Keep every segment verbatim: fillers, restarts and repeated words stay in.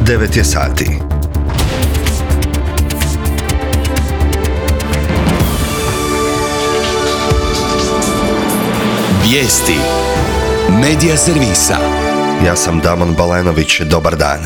devet je sati. Vijesti Medija servisa. Ja sam Damon Balenović, dobar dan.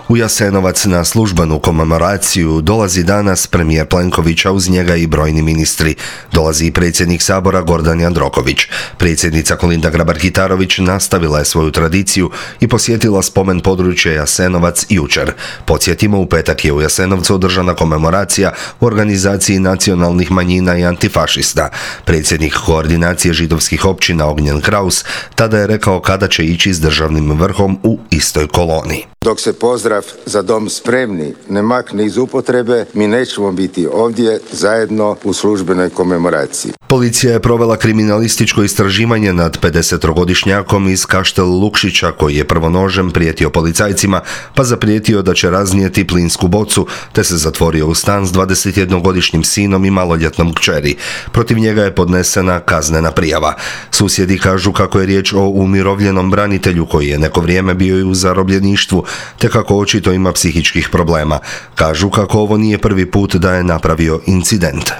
U Jasenovac na službenu komemoraciju dolazi danas premijer Plenković, a uz njega i brojni ministri. Dolazi i predsjednik Sabora Gordan Jandroković. Predsjednica Kolinda Grabar-Kitarović nastavila je svoju tradiciju i posjetila spomen područje Jasenovac jučer. Podsjetimo, u petak je u Jasenovcu održana komemoracija u organizaciji nacionalnih manjina i antifašista. Predsjednik koordinacije židovskih općina Ognjen Kraus tada je rekao kada će ići s državnim vrhom u istoj koloni. Dok se pozdrav "Za dom spremni" ne makne iz upotrebe, mi nećemo biti ovdje zajedno u službenoj komemoraciji. Policija je provela kriminalističko istraživanje nad pedesetogodišnjakom iz Kaštel Lukšića koji je prvo nožem prijetio policajcima, pa zaprijetio da će raznijeti plinsku bocu, te se zatvorio u stan s dvadesetjednogodišnjim sinom i maloljetnom kćeri. Protiv njega je podnesena kaznena prijava. Susjedi kažu kako je riječ o umirovljenom branitelju koji je neko vrijeme bio i u zarobljeništvu, te kako očito ima psihičkih problema. Kažu kako ovo nije prvi put da je napravio incident.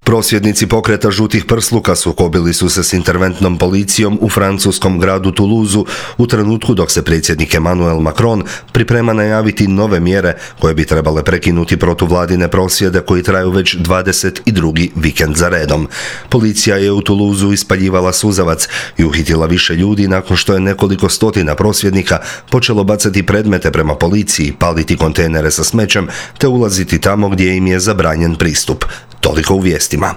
Prosvjednici pokreta žutih prsluka sukobili su se s interventnom policijom u francuskom gradu Toulouseu u trenutku dok se predsjednik Emmanuel Macron priprema najaviti nove mjere koje bi trebale prekinuti protuvladine prosvjede koji traju već dvadeset drugi vikend za redom. Policija je u Toulouseu ispaljivala suzavac i uhitila više ljudi nakon što je nekoliko stotina prosvjednika počelo bacati predmete prema policiji, paliti kontejnere sa smećem te ulaziti tamo gdje im je zabranjen pristup. Toliko u vijestima.